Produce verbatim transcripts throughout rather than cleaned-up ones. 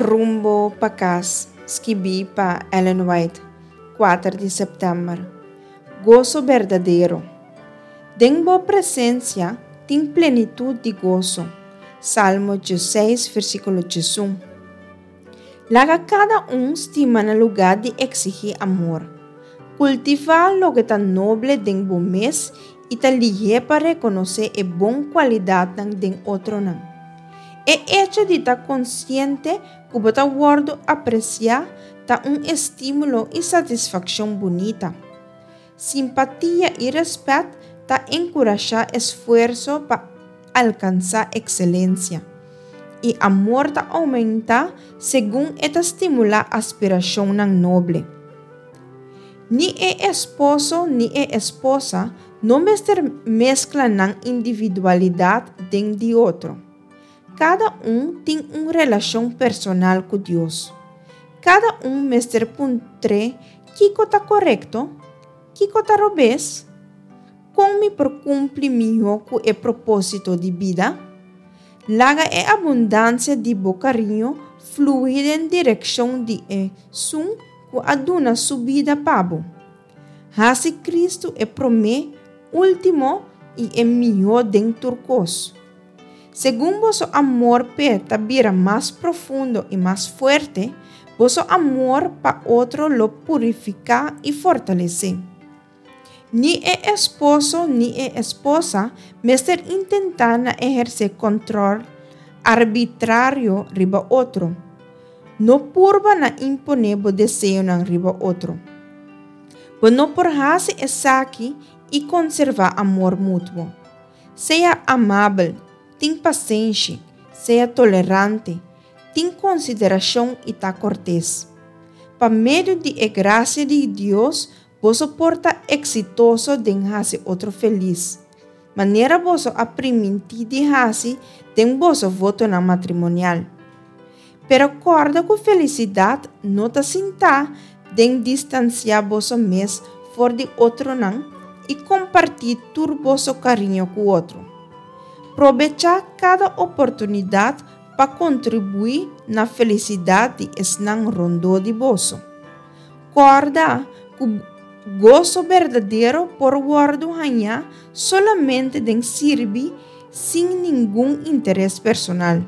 Rumbo pa Kas, skibí pa Ellen White, kuater di sèptèmber. Goso berdadero. Den bo presensia tin plenitut di goso. Salmo diesseis, versíkulo diesun. Laga kada un stima na lugá di eksigí amor. Kultivá loke ta noble den bo mes i ta lihé pa rekonosé e bon kualidatnan den otronan. E echo di ta konsiente ku bo ta wòrdu apresiá ta un estímulo i satisfakshon bunita. Simpatia i rèspèt ta enkurashá esfuerso pa alkansá ekselensia. I amor ta oumentá segun e ta stimulá aspirashonnan noble. Ni e esposo ni e esposa no mester meskla nan individualidat den di otro. Kada un tin un relashon personal ku Dios. Kada un mester puntr'é kiko ta korekto, kiko ta robes, kon mi por kumpli mihó ku e propósito di bida? Laga e abundansia di bo kariño flui den direkshon di esun ku a duna su bida pa bo. Hasi Kristu e promé, último i e mihó den tur kos. Segun boso amor p'e ta bira mas profundo i mas fuerte, boso amor pa otro lo purifiká i fortalesé. Ni e esposo ni e esposa mester intentá na ehersé kòntròl arbitrario riba otro. No purba na imponé bo deseonan riba otro. Bo no por hasi esaki i konservá amor mutuo. Sea amabel, tin pasenshi, sea tolerante, tin konsiderashon i ta kortes. Pa medio di e grasia di Dios boso por ta eksitoso den hasi otro felis, manera boso a primintí di hasi den boso votonan matrimonial. Pero kòrda ku felisidat no ta sinta den distansiá boso mes for di otronan i kompartí tur boso kariño ku otro. Probechá kada oportunidat pa kontribuí na felisidat di esnan rondó di boso. Kòrda ku goso berdadero por wòrdu hañá solamente den sirbi sin ningun interes personal.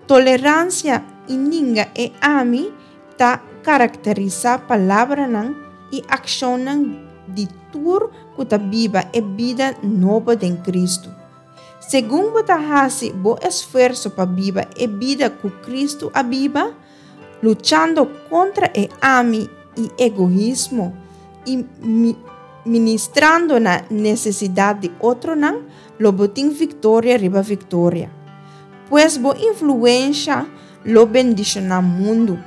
Toleransia i ninga e ami ta karakterisá palabranan i akshonnan di tur ku ta biba e bida nobo den Kristu. Segun bo ta hasi bo esfuerso pa biba e bida ku Kristu a biba, luchando kontra e ami i egoismo i ministrando na nesesidat di otronan, lo bo tin viktoria riba viktoria. Pues bo influensha lo bendishoná mundu.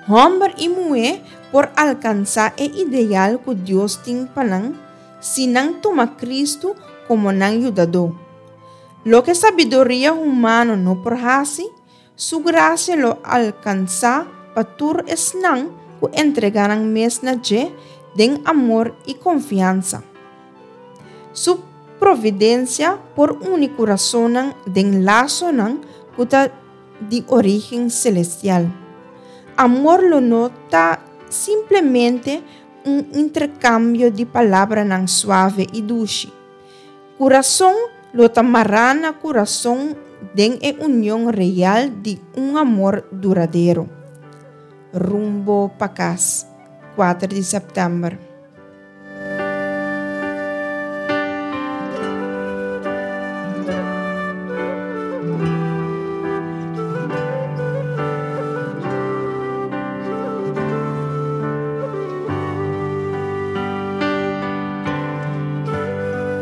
Hòmber i muhé por alkansá e ideal ku Dios tin pa nan si nan tuma Kristu komo nan Yudadó. Loke sabiduria humano no por hasi, su grasia lo alkansá pa tur esnan ku entregá nan mes na dje den amor i konfiansa. Su providensia por uni kurasonnan den lasonan ku ta di orígen selestial. Amor lo no ta simplemente un interkambio di palabranan suave i dushi. Kurason lo ta mará na kurason den e union real di un amor duradero. Rumbo pa Kas, kuater di sèptèmber.